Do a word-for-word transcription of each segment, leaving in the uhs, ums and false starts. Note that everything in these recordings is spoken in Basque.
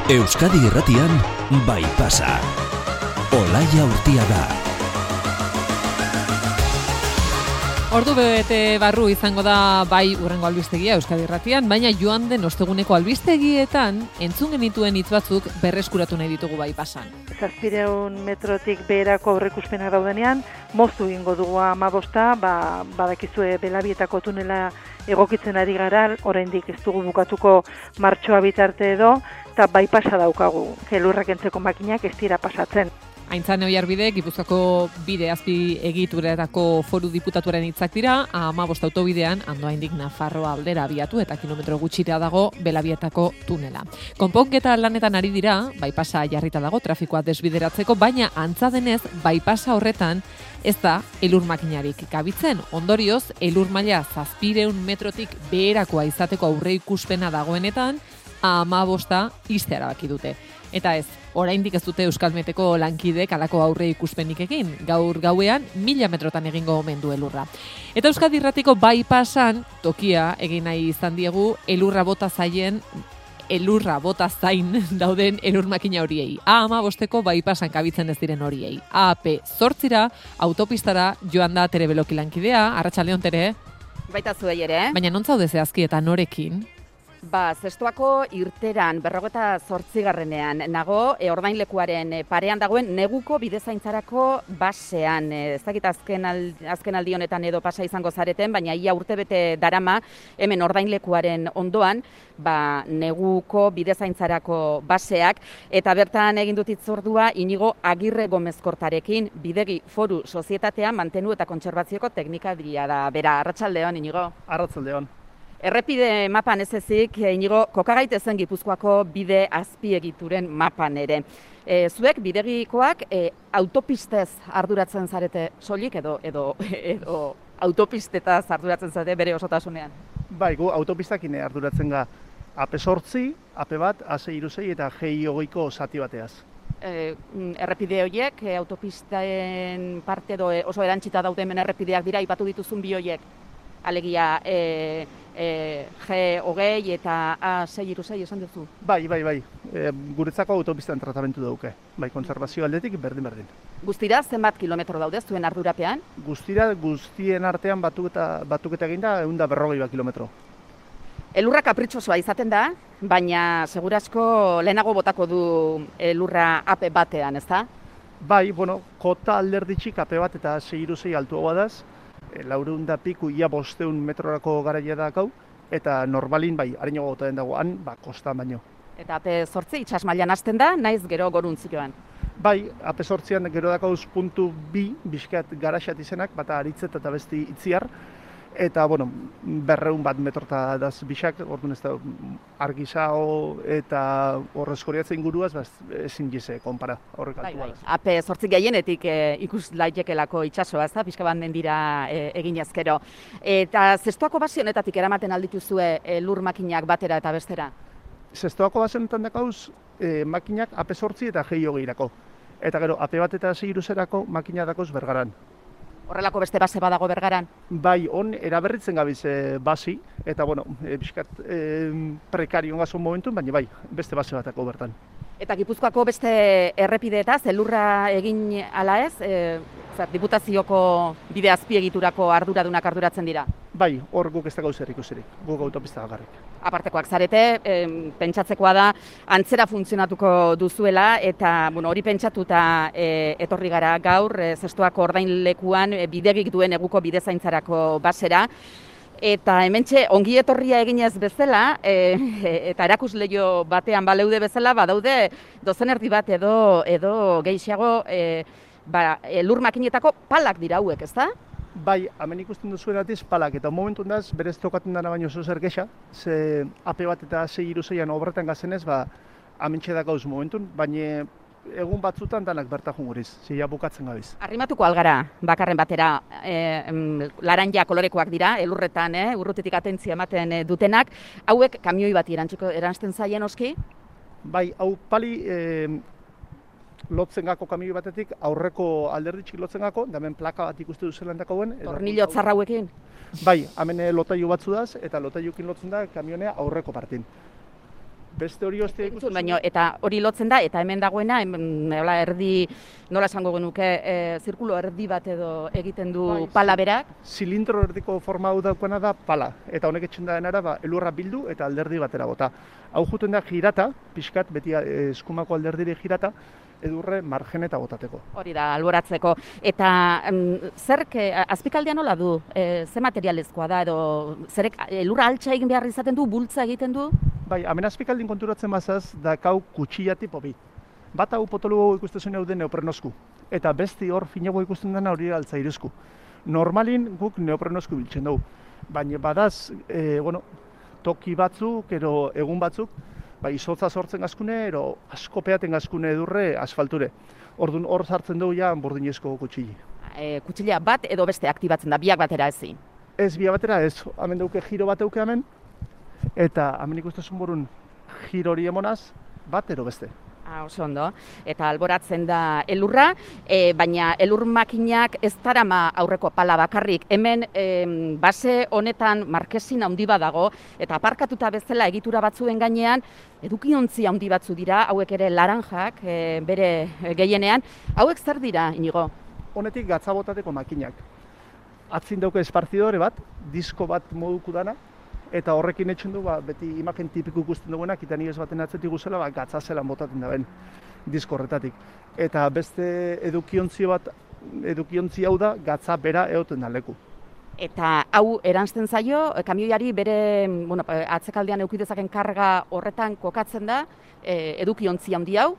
Euskadi Irratian Baipasa. Olaia Urtiaga. Ordu bete barru izango da bai hurrengo albistegia Euskadi Irratian, baina joan den osteguneko albistegietan entzun genituen hitz batzuk berreskuratu nahi ditugu Baipasan. Zazpireun metrotik beherako aurreikuspenak daudenean, moztu egingo dugu hamabosta, ba, badakizue Belabietako tunela egokitzen ari gara, oraindik ez dugu bukatuko martxoa bitarte edo, eta Baipasa daukagu, elurrak entzeko makinak ez dira pasatzen. Aintzane Oiarbide, Gipuzkoako bide azpi egituretako foru diputatuaren hitzak dira, hamabost autobidean Andoaindik Nafarroa aldera abiatu eta kilometro gutxira dago Belabietako tunela. Konponketa lanetan ari dira, Baipasa jarrita dago trafikoa desbideratzeko, baina antza denez Baipasa horretan ez da elur makinarik gabitzen. Ondorioz, elur maila zazpireun metrotik beherakoa izateko aurreikuspena dagoenetan, hamabosta iste erabaki dute. Eta ez, oraindik ez dute Euskalmeteko lankidek halako aurre ikuspenik egin. Gaur gauean mila metrotan egingo omen du elurra. Eta Euskadi Irratiko Baipasan tokia egin nahi izan diegu elurra bota zaien elurra bota zain dauden elur makina horiei. A hamabosteko Baipasan kabitzen ez diren horiei. A P zortzira autopistara joan da Tere Beloki lankidea. Arratsaldeon Tere. Baita zuei ere. Baina non zaude zehazki eta norekin? Ba, zestoako irteran, berrogeta zortzigarrenean, nago, e, ordainlekuaren parean dagoen neguko bidezaintzarako basean. E, ez dakit azken, ald, azken aldi honetan edo pasa izango zareten, baina ia urtebete darama hemen ordainlekuaren ondoan, ba, neguko bidezaintzarako baseak, eta bertan egin dut hitzordua Inigo Agirre Gomezkortarekin, Bidegi Foru Sozietatea mantenu eta kontserbazioko teknikaria da. Bera, arratsaldeon Inigo. Arratsaldeon. Errepide mapan ez ezik, Inigo, kokagaitezen Gipuzkoako bide azpiegituren mapan ere. E, zuek bidegikoak e, autopistez arduratzen zarete soilik edo edo edo autopistetaz arduratzen zarete bere osotasunean? Bai, gu autopistakin arduratzen ga A P zortzi, A P bat, A sei hiru sei eta G I hogeiko zati bateaz. E, errepide horiek, e, autopisten parte edo e, oso erantzita daude hemen errepideak dira, aipatu dituzun bi horiek. Alegia e, e, G hogei eta A sei hiru sei esan duzu? Bai, bai, bai. E, guretzako autopistan tratamentu dauke. Bai, konservazio aldetik berdin-berdin. Guztira, zenbat kilometro daude zuen ardurapean? Guztira, guztien artean batuketa, batuketa eginda ehun eta berrogei bat kilometro. Elurra kapritxosoa izaten da, baina segurasko lehenago botako du elurra A P batean, ezta? Bai, bueno, kota alderditxik A P bat eta A sei hiru sei altuagoa daz. Laurehun da piku ia bosteun metrorako garaia dakau, eta normalin bai, harenago gota den dagoan, ba, kostan baino. Eta A P zortzi itsas mailan hasten da, naiz gero goruntziloan. Bai, A P zortzian gero dakauz puntu bi, bizkat garaxat izenak, bata aritzet eta besti itziar, eta, bueno, berreun bat metrota daz bisak, orduan ez da argizao eta horrezkoriatzen inguruaz, ba, ezin gize konpara horrek altua. Bai, bai. A P zortzi gehienetik e, ikus laitekelako itsasoa, ez da, pixka bat dira e, egin ezkero. Eta zestoako base honetatik eramaten aldituzue e, lur makinak batera eta bestera? Zestoako base honetan dakauz e, makinak A P zortzi eta G I hogeirako. Eta gero, A P bat eta A sei hiru seirako makina dakoz Bergaran. Horrelako beste base badago Bergaran? Bai, on eraberritzen gabiz e, basi, eta bueno, e, bizkat e, prekario gazon momentun, baina bai, beste base batako bertan. Eta Gipuzkoako beste errepideetaz, elurra egin ala ez, e, zer, diputazioko bide azpiegiturako arduradunak arduratzen dira? Bai, hor guk ez da gauzer ikusirik, guk autopista bakarrik. Apartekoak zarete, e, pentsatzekoa da antzera funtzionatuko duzuela, eta bueno, hori pentsatuta e, etorri gara gaur, e, zestoako ordainlekuan e, bidegik duen eguko bidezaintzarako basera, eta hementxe ongi etorria eginez bezala, e, eta erakusleio batean baleude bezala, badaude dozen erdi bat edo, edo gehiago e, ba, e, lur makinetako palak dira hauek, ezta? Bai, hemen ikusten duzuenatiz palak, eta momentu ondaz, berez tokatzen dana baino zozer gexa, ze A P bat eta A sei hiru seian obretan gazenez, ba, hementxe dakauz momentun, baina egun batzutan danak berta junguriz, zila bukatzen gabiz. Arrimatuko algara, bakarren batera, e, em, laranja kolorekoak dira, elurretan, eh, urrutetik atentzia ematen e, dutenak, hauek kamioi bat erantzten zaien oski? Bai, hau pali, e, lotzen gako kamioi batetik, aurreko alderditxik lotzen gako, da hemen plaka bat ikuste duzelan dakoen. Tornillo txarrauekin? Bai, hemen lotailu batzu daz, eta lotailukin lotzen da kamionea aurreko partin. Beste hori ostia ikusten. Baina, eta hori lotzen da, eta hemen dagoena, hemen, hola, erdi, nola esango genuke, e, zirkulo erdi bat edo egiten du bai, pala berak? Zilindro erdiko forma hau daukena da pala, eta honek etxen da denara, ba, elurra bildu eta alderdi batera bota. Hau juten da girata, pixkat, beti eskumako alderdire girata, edurre margen eta botateko. Hori da, alboratzeko. Eta um, zerk, azpikaldia nola du? E, ze materialezkoa da, edo zerek elurra altxa egin behar izaten du, bultza egiten du? Bai, hemen azpikaldin konturatzen bazaz, dakau kutsilla tipo bi. Bat hau potolugu ikusten hau den neoprenosku, eta besti hor finago ikusten dena hori altzairezku. Normalin guk neoprenosku biltzen dugu, baina badaz, e, bueno, toki batzuk, ero egun batzuk, ba, izotza sortzen gazkune, ero asko peaten gazkune edurre asfalture. Orduan hor sartzen dugu ja burdinezko kutxili. E, kutxila bat edo beste aktibatzen da, biak batera ezin? Ez, biak batera ez. Hemen duke giro bat euke hemen, eta hemen ikustezun burun giro hori emonaz, bat ero beste. Ah, oso ondo. Eta alboratzen da elurra, e, baina elur makinak ez darama aurreko pala bakarrik. Hemen e, base honetan markesin handi badago, eta aparkatuta bezala egitura batzuen gainean, edukiontzi handi batzu dira, hauek ere laranjak, e, bere gehienean. Hauek zer dira, Inigo? Honetik gatza botateko makinak. Atzin dauke espartidore bat, disko bat moduko dana, eta horrekin etxen du, ba, beti imagen tipiko ikusten duguenak, eta nire ez baten atzetik guzela, ba, gatza zelan botaten da ben, disko horretatik. Eta beste edukiontzi bat, edukiontzi hau da, gatza bera egoten da leku. Eta hau eransten zaio, kamioiari bere, bueno, atzekaldean eukidezaken karga horretan kokatzen da, e, edukiontzi handi hau,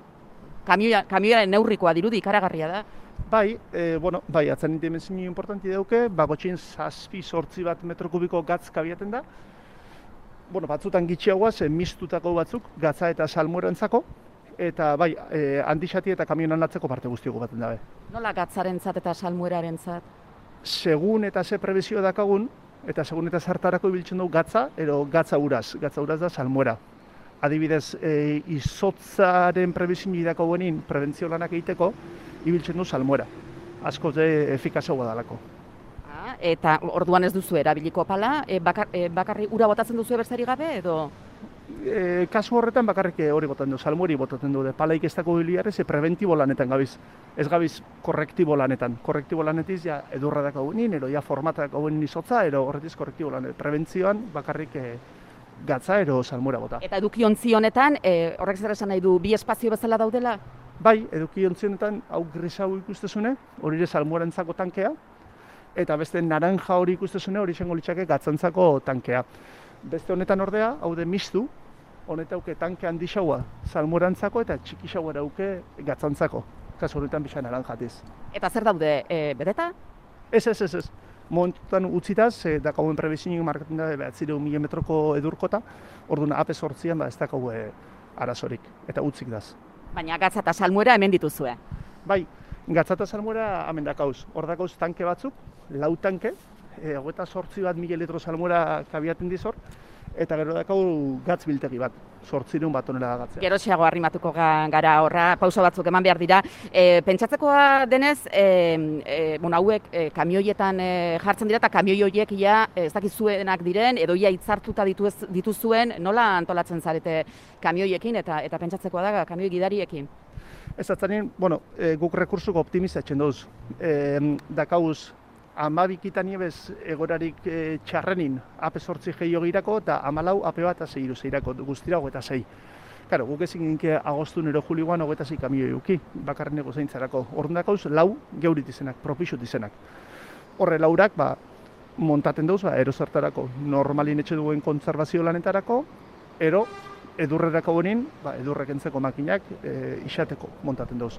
kamioiaren neurrikoa dirudi, ikaragarria da. Bai, e, bueno, bai, atzan dimensio importanti dauke, bagotxin zazpi sortzi bat metro kubiko gatz kabiaten da. Bueno, batzutan gitxiagoaz, mistutako batzuk, gatza eta salmuerantzako, eta bai, e, handixati eta kamionan atzeko parte guztioko baten dabe. Nola gatzarentzat eta salmuerarentzat? Segun eta ze prebizio dakagun, eta segun eta zartarako ibiltzen dugu gatza, ero gatza uraz, gatza uraz da salmuera. Adibidez, e, izotzaren prebizio dako benin, prebentzio lanak egiteko, ibiltzen du salmuera. Asko ze efikazagoa dalako. Eta orduan ez duzu erabiliko pala, e, bakar, e, bakarri ura botatzen duzu besterik gabe edo? E, kasu horretan bakarrik hori botatzen du, salmueri botatzen du, palaik ez dako biliarrez, e, preventibo lanetan gabiz. Ez gabiz korrektibo lanetan. Korrektibo lanetiz ja edurra dako benin, ero ja formata dako benin izotza, ero horretiz korrektibo lanetan. Prebentzioan bakarrik e, gatza ero salmuera bota. Eta edukiontzi honetan, e, horrek zer esan nahi du, bi espazio bezala daudela? Bai, edukiontzi honetan hau grisau ikustezune, hori ere salmuerantzako tankea, eta beste naranja hori ikustezune hori izango litzake gatzantzako tankea. Beste honetan ordea, hau de mistu, honetauke tanke handixaua salmuerantzako eta txikixaua dauke gatzantzako. Kasu honetan bisa naranjatiz. Eta zer daude, e, bedeta? Ez, ez, ez, ez. Momentutan utzitaz, e, dakauen prebizionik markatzen da behatzireun mila metroko edurkota, orduan ape sortzian ba, ez dakau e, arazorik, eta utzik daz. Baina gatza eta salmuera hemen dituzue? Bai, gatza eta salmuera hemen dakauz. Hor dakauz tanke batzuk, lau tanke, e, hogeita sortzi bat mila litro salmuera kabiaten dizor, eta gero dakau gatz biltegi bat, sortzireun bat onela gatzea. Geroxeago arrimatuko gara horra, pauso batzuk eman behar dira. E, pentsatzekoa denez, e, e, bueno, hauek e, kamioietan e, jartzen dira, eta kamioi horiek ia ez dakizuenak diren, edo ia hitzartuta dituz, dituzuen, nola antolatzen zarete kamioiekin, eta eta pentsatzekoa da kamioi gidariekin? Ez atzanin, bueno, e, guk rekursuko optimizatzen duz. E, dakauz, amabikitan niebez egorarik e, txarrenin ape sortzi gehiago girako, eta amalau ape bat azei iru zeirako, guztira hogeita zei. Karo, guk ezin ginke agostun ero julioan hogeita zei kamioi uki, bakarren ego zeintzarako. Orduan dakauz, lau geurit izenak, propixut izenak. Horre laurak, ba, montaten dauz, ba, erozartarako, normalin etxe duen kontserbazio lanetarako, ero, edurrerako benin, ba, edurrek entzeko makinak e, isateko montaten dauz.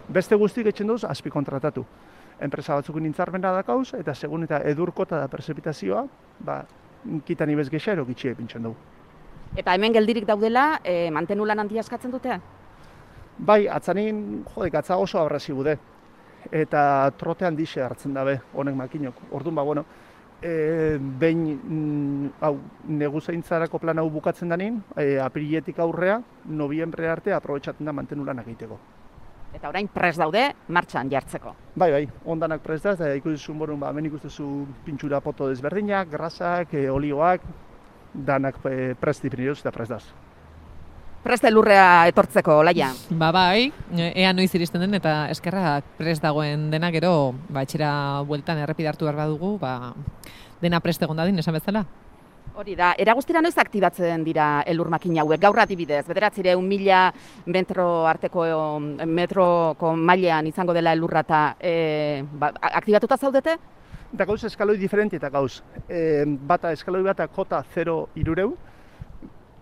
Beste guztik etxen dauz, azpi kontratatu. Enpresa batzuk nintzarmena dakauz, eta segun eta edurkota da prezipitazioa, ba, kitan ibez gexa ero gitxie pintzen dugu. Eta hemen geldirik daudela, e, mantenu lan handia eskatzen dute? Bai, atzanin, jode, gatza oso abrazi bude. Eta trote handixe hartzen dabe, honek makinok. Orduan, ba, bueno, e, behin, mm, hau, neguzaintzarako plan hau bukatzen danin, e, apiriletik aurrea, nobiembre arte aprobetxatzen da mantenu lanak egiteko. Eta orain prest daude martxan jartzeko. Bai, bai, ondanak prest da, eta ikusten borun, ba, hemen ikustezu pintxura poto desberdinak, grasak, e, olioak, danak e, prest dipiniruz eta prest daz. Prest elurrea etortzeko, Olaia. Ba bai, ea noiz iristen den eta eskerrak prest dagoen dena gero, ba etxera bueltan errepidartu behar badugu, ba dena prest egon dadin, esan bezala. Hori da, era guztira noiz aktibatzen dira elur makina hauek, gaur adibidez, bederatzireun mila metro arteko metroko mailean izango dela elurra eta e, ba, aktibatuta zaudete? Eta gauz eskaloi diferenti eta gauz. E, bata eskaloi bata kota zero irureu,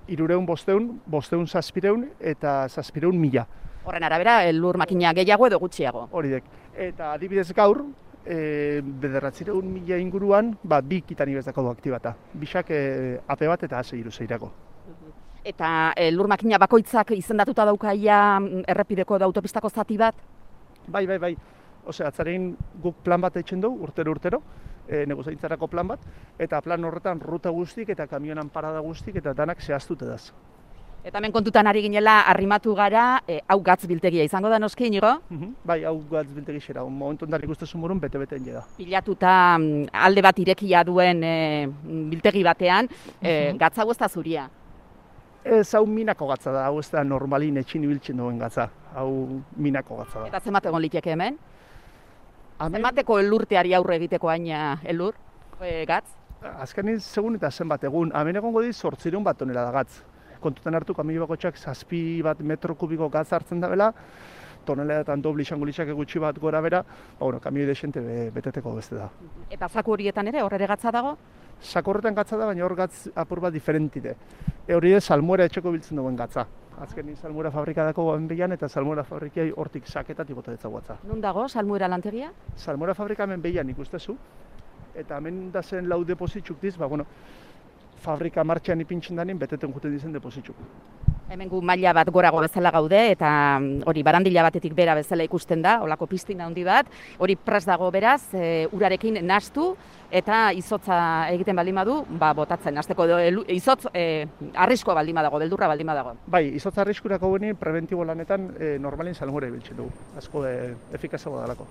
irureun bosteun, bosteun zazpireun eta zazpireun mila. Horren arabera, elur makina gehiago edo gutxiago. Hori dek. Eta adibidez gaur, e, bederatzireun mila inguruan, ba, bi kitan ibezako du aktibata. Bixak e, ape bat eta ase iru zeirako. Eta elur makina bakoitzak izendatuta daukaia errepideko da autopistako zati bat? Bai, bai, bai. Osea, atzarein guk plan bat etxen dugu, urtero-urtero, e, negozaintzarako plan bat, eta plan horretan ruta guztik eta kamionan parada guztik eta danak zehaztute daz. Eta hemen kontutan ari ginela, arrimatu gara, e, hau gatz biltegia izango da noski, Inigo? Uh-huh. Bai, hau gatz biltegi xera, momentu ondan ikustezun burun bete-beteen jeda. Pilatuta alde bat irekia duen e, biltegi batean, e, Uh-huh. gatza hau ez da zuria. Ez, hau minako gatza da, hau ez da normalin etxin ibiltzen duen gatza, hau minako gatza da. Eta zenbat egon liteke hemen? Hemen, Zenbateko elurteari aurre egiteko haina elur, e, gatz? azkenin segun eta zenbat egun, hemen egongo di zortzireun bat tonela da gatz. Kontutan hartu kamio bakotxak zazpi bat metro kubiko gatz hartzen da bela, toneladetan dobli izango litzake gutxi bat gora bera, ba, bueno, kamioi desente be, beteteko beste da. Eta zaku horietan ere, horre gatza dago? Sako horretan gatza da, baina hor gatz apur bat diferentite. E hori da salmuera etxeko biltzen duen gatza. Azkenin salmuera fabrika dako goen behian eta salmuera fabrikai hortik saketatik bota detza gatza. Nun dago, salmuera lantegia? Salmuera fabrika hemen behian ikustezu, eta hemen da zen lau depositzuk diz, ba, bueno, fabrika martxan ipintzen danin, beteten juten dizen depositzuk. Hemen gu maila bat gorago bezala gaude, eta hori barandila batetik bera bezala ikusten da, olako piztina handi bat, hori prest dago beraz, e, urarekin nahastu, eta izotza egiten baldin badu, ba, botatzen, hasteko edo izotz e, arriskoa baldin badago, beldurra baldin badago. Bai, izotza arriskurako geni preventibo lanetan e, normalin salmuera ibiltzen dugu, asko e, efikazago dalako.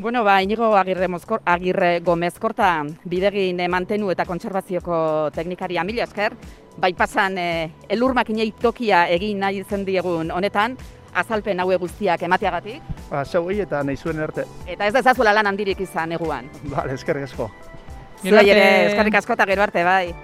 Bueno, ba, Inigo Agirre, Mozkor, Agirre Gomez Korta, bidegin mantenu eta kontserbazioko teknikaria, mila esker, bai pasan e, elur makinei tokia egin nahi zen diegun honetan, azalpen haue guztiak emateagatik. Ba, zeuei eta nahi zuen erte. Eta ez dezazuela lan handirik izan eguan. Bale, eskerrik asko. Gero Zuei ere arte. eskerrik asko eta gero arte, bai.